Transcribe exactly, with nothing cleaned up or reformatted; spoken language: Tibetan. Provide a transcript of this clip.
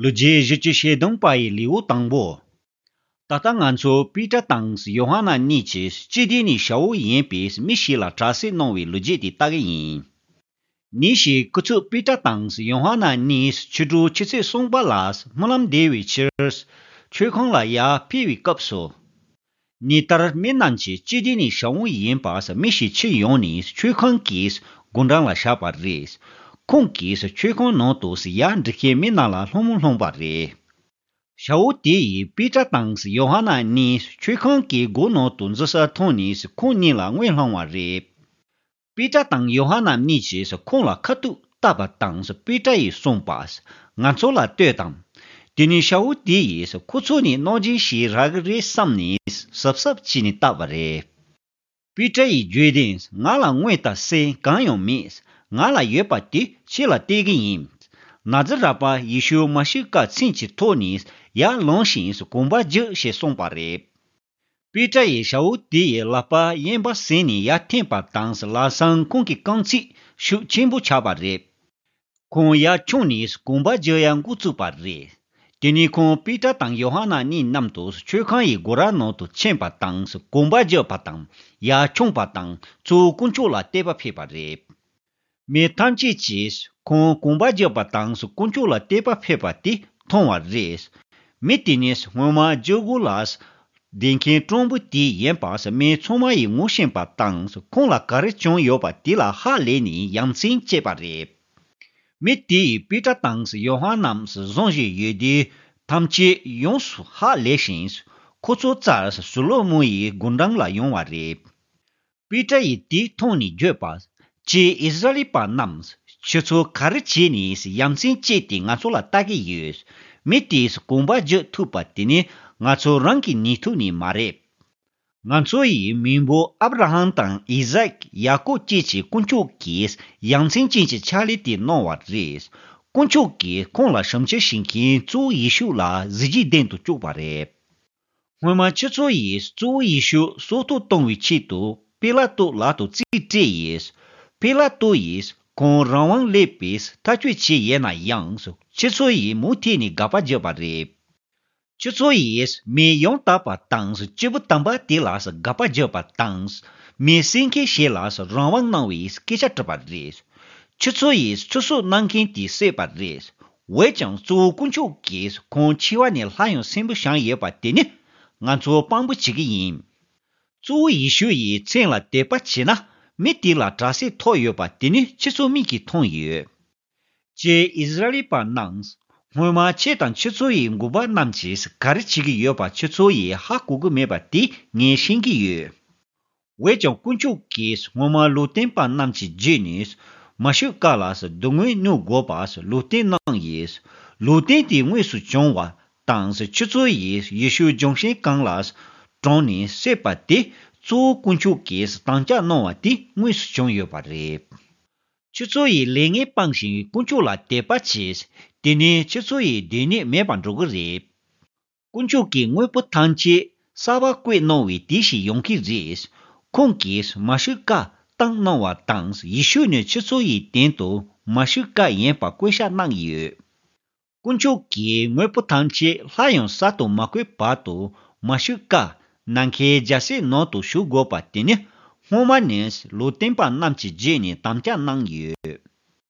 ལོ་རྒྱུས་བཞི་བཅུ་ཞེ་བདུན་པ་ཡི་ལེའུ་དང་པོ། ད་ལྟ་ང་ཚོ་པི་ཏྲ་དང་ཡོ་ཧ་ནན་གཉིས་ཀྱིས་སྤྱི་བདེ་ནས་ཞ་བོ་ཡིན་པའི་མི་ཞིག་ལ་དྲག་སྐྱེད་གནང་བའི་ལོ་རྒྱུས་དེ་ལྟ་གི་ཡིན། ཉིན་ཞིག་སྐུ་ཚབ་པི་ཏྲ་དང་ཡོ་ཧ་ནན་གཉིས་ཕྱི་དྲོ་ཆུ་ཚོད་གསུམ་པ་ལ་སྨོན་ལམ་འདེབས་པའི་ཕྱིར། མཆོད་ཁང་ལ་ཡར་ཕེབས་པའི་སྐབས་སུ། ཉིན་ལྟར་མི་རྣམས་ཀྱིས་སྤྱི་བདེ་ནས་ཞ་བོ་ཡིན་པ་མི་ཞིག་ཕྱིར་ཡོང་ནས་མཆོད་ཁང་གི་སྒོ་འགྲམ་ལ་བཞག་པ་རེད། ཁོང་གིས་མཆོད་ཁང་ནང་དུ་ཡར་འགྲོ་མཁན་མི་རྣམས་ལ་ལྷུང་མོ་ལྷུང་བ་རེད། ཞ་བོ་དེ་ཡིས་པི་ཏྲ་དང་ཡོ་ཧ་ནན་གཉིས་མཆོད་ཁང་གི་སྒོ་ནང་དུ་འཛུལ་ས་མཐོང་ནས་ཁོང་གཉིས་ལ་ངོ་ལྷུང་བ་རེད། པི་ཏྲ་དང་ཡོ་ཧ་ནན་གཉིས་ཀྱིས་ཁོང་ལ་ཁ་ཐུག་བལྟས་པ་དང་པི་ཏྲ་ཡིས་གསུངས་པ། ང་ཚོ་ལ་ལྟོས་དང་། དེ་ནས་ཞ་བོ་དེ་ཡིས་ཁོ་ཚོ་ནི་གནོད་སྦྱིན་ཞིག་རག་གི་རེད་བསམ་ནས་གཟབ་གཟབ་བྱས་ནས་བལྟས་པ་རེད། པི་ཏྲ་ཡིས་བརྗོད་དོན། ང་ལ་དངོས་དང་སེམས་གང་ཡང་མེད། ང་ལ་ཡོད་པ་དེ་ཁྱེད་ལ་སྟེར་གི་ཡིན། ན་ཛི་ར་པ་ཡེ་ཤུ་མ་ཤི་ཀ་མཚན་གྱི་ཐོག་ནས་ཡར་ལངས་ཤིང་གོམ་པ་རྒྱག་ཞེས་གསུངས་པ་རེད། པི་ཏྲ་ཡིས་ཞ་བོ་དེ་ཡི་ལག་པ་གཡས་པ་ཟིན་ནས་ཡར་འཐེན་པ་དང་ལམ་སང་ཁོང་གི་རྐང་རྩེད་ཤུགས་ཆེན་པོ་ཆགས་པ་རེད། ཁོང་ཡར་མཆོངས་ནས་གོམ་པ་རྒྱག་ཡག་འགོ་བཙུགས་པ་རེད། དེ་ནས་ཁོང་པི་ཏྲ་དང་ཡོ་ཧ་ནན་གཉིས་མཉམ་དུ་མཆོད་ཁང་ཡི་སྒོ་ར་ནང་དུ་ཕྱིན་པ་དང་གོམ་པ་རྒྱག་པ་དང་ཡར་མཆོངས་པ་དང་གཙོ་བོ་དཀོན་མཆོག་ལ་བསྟོད་པ་ཕེབས་པ་རེད། མི་ཐམས་ཅད་ཀྱིས་ཁོང་གོམ་པ་རྒྱག་པ་དང་དཀོན་མཆོག་ལ་བསྟོད་པ་ཕེབས་པ་དེ་མཐོང་བ་རེད། མི་དེ་ནི་སྔོན་མ་རྒྱལ་སྒོ་ལ་བསྡད་མཁན་སྤྲང་པོ་དེ་ཡིན་པ་མི་ཚང་མ་ཡིས་ངོ་ཤེས་པ་དང་ཁོང་ལ་ག་རེ་བྱུང་ཡོད་པ་དེ་ལ་ཧ་ལས་ནས་ཡ་མཚན་སྐྱེས་པ་རེད། མི་དེ་ཡིས་པི་ཏྲ་དང་ཡོ་ཧ་ནན་བཟུང་བཞིན་ཡོད་དུས་ཐམས་ཅད་ཡོངས་སུ་ཧ་ལས་ཤིང་། ཁོ་ཚོ་རྩར་སོ་ལོ་མོན་ཡི་སྒོ་འགྲམ་ལ་ཡོང་བ་རེད། པི་ཏྲ་ཡིས་དེ་མཐོང་ནས་བརྗོད་པ། ཀྱེ་ཨིསི་ར་ཨེལ་པ་རྣམས། ཁྱེད་ཚོ་ག་རེ་བྱས་ནས་ཡ་མཚན་སྐྱེས་ཏེ་ང་ཚོ་ལ་ལྟ་གི་ཡོད། མི་དེས་གོམ་པ་རྒྱག་ཐུབ་པ་དེ་ནི་ང་ཚོ་རང་གི་ནུས་མཐུ་ནི་མ་རེད། ང་ཚོ་ཡི་མེས་པོ་ཨབ་ར་ཧམ་དང་ཨི་ཟག་ཡ་ཀོབ་བཅས་ཀྱི་དཀོན་མཆོག་གིས་ཡ་མཚན་ཅན་གྱི་ཕྱག་ལས་དེ་གནང་བ་རེད། དཀོན་མཆོག་གིས་ཁོང་ལ་ཞབས་ཕྱི་བྱེད་མཁན་གཙོ་བོ་ཡེ་ཤུ་ལ་གཟི་བརྗིད་ལྡན་དུ་བཅུག་པ་རེད། སྔོན་མ་ཁྱེད་ཚོ་ཡིས་གཙོ་བོ་ཡེ་ཤུ་སྲོག་ཐོག་གཏོང་བའི་ཆེད་དུ་པི་ལ་ཏོ་ལག་ཏུ་རྩིས་སྤྲད་ཡིས། པི་ལ་ཏོ་ཡིས་ཁོང་རང་དབང་སླེབས་པའི་ཐག་གཅོད་བྱས་ཡོད་ན་ཡང་ཁྱེད་ཚོ་ཡིས་མུ་མཐུད་ནས་དགག་པ་བརྒྱབ་པ་རེད། ཁྱེད་ཚོ་ཡིས་མི་ཡང་དག་པ་དང་སྐྱེས་བུ་དམ་པ་དེ་ལ་དགག་པ་བརྒྱབ་པ་དང་། མི་བསད་མཁན་ཞིག་ལ་རང་དབང་གནང་བའི་སྐད་ཆ་གྲགས་པ་རེད། ཁྱེད་ཚོ་ཡིས་ཚེ་སྲོག་གནང་མཁན་དེ་བསད་པ་རེད། འོན་ཀྱང་གཙོ་བོ་དཀོན་མཆོག་གིས་ཁོང་འཆི་བ་ནས་སླར་ཡང་གསོན་པོ་བཞེངས་ཡོད་པ་དེ་ནི་ང་ཚོ་དཔང་པོ་བྱེད་ཀྱི་ཡིན། གཙོ་བོ་ཡེ་ཤུ་ཡི་མཚན་ལ་དད་པ་བྱས་ན་མི་དེ་ལ་དྲག་སྐྱེད་ཐོབ་ཡོད་པ་དེ་ནི་ཁྱེད་ཚོ་མིག་གིས་མཐོང་ཡོད། ཀྱེ་ཨིསི་ར་ཨེལ་པ་རྣམས། སྔོན་མ་ཁྱེད་དང་ཁྱེད་ཚོ་ཡི་འགོ་པ་རྣམས་ཀྱིས་ག་རེ་བྱེད་ཀྱི་ཡོད་པ་ཁྱེད་ཚོ་ཡིས་ཧ་གོ་གི་མེད་པ་དེ་ངས་ཤེས་ཀྱི་ཡོད། འོན་ཀྱང་དཀོན་མཆོག་གིས་སྔོན་མ་ལུང་སྟོན་པ་རྣམས་ཀྱི་རྗེས་ནས་མ་ཤི་ཀ་ལ་སྡུག་བསྔལ་མྱོང་དགོས་པ་ལུང་སྟོན་གནང་ཡིས། ལུང་སྟོན་དེ་དངོས་སུ་བྱུང་བ་དང་ཁྱེད་ཚོ་ཡིས་ཡེ་ཤུ་ལྗོན་ཤིང་གང་ལ་དྲངས་ནས་བསད་པ་དེ་གཙོ་བོ་དཀོན་མཆོག་གིས་དམ་བཅའ་གནང་བ་དེ་དངོས་སུ་བྱུང་ཡོད་པ་རེད། ཁྱེད་ཚོ་ཡིས་ལས་ངན་སྤངས་ཤིང་དཀོན་མཆོག་ལ་དད་པ་བྱས། དེ་ནས་ཁྱེད་ཚོ་ཡི་སྡུག་བསྔལ་མེད་པར་འགྲོ་གི་རེད། དཀོན་མཆོག་གིས་དངོས་པོ་ཐམས་ཅད་གསར་པ་བཀོད་གནང་བའི་དུས་ཤིག་ཡོང་གི་རེད། ཁོང་གིས་མ་ཤི་ཀ་བཏང་གནང་བ་དང་ཡེ་ཤུ་ནི་ཁྱེད་ཚོ་ཡི་སྟེང་དུ་མ་ཤི་ཀ་ཡིན་པ་བཀོད་ཤག་གནང་ཡོད། དཀོན་མཆོག་གིས་དངོས་པོ་ཐམས་ཅད་སླར་ཡང་གསར་དུ་མ་བཀོད་བར་དུ་མ་ཤི་ཀ་ནམ་མཁའི་རྒྱལ་སྲིད་ནང་དུ་ཞུགས་དགོས་པ་དེ་ནི་སྔོན་མ་ནས་ལུང་སྟོན་པ་རྣམས་ཀྱི་རྗེས་ནས་དམ་བཅའ་གནང་ཡོད།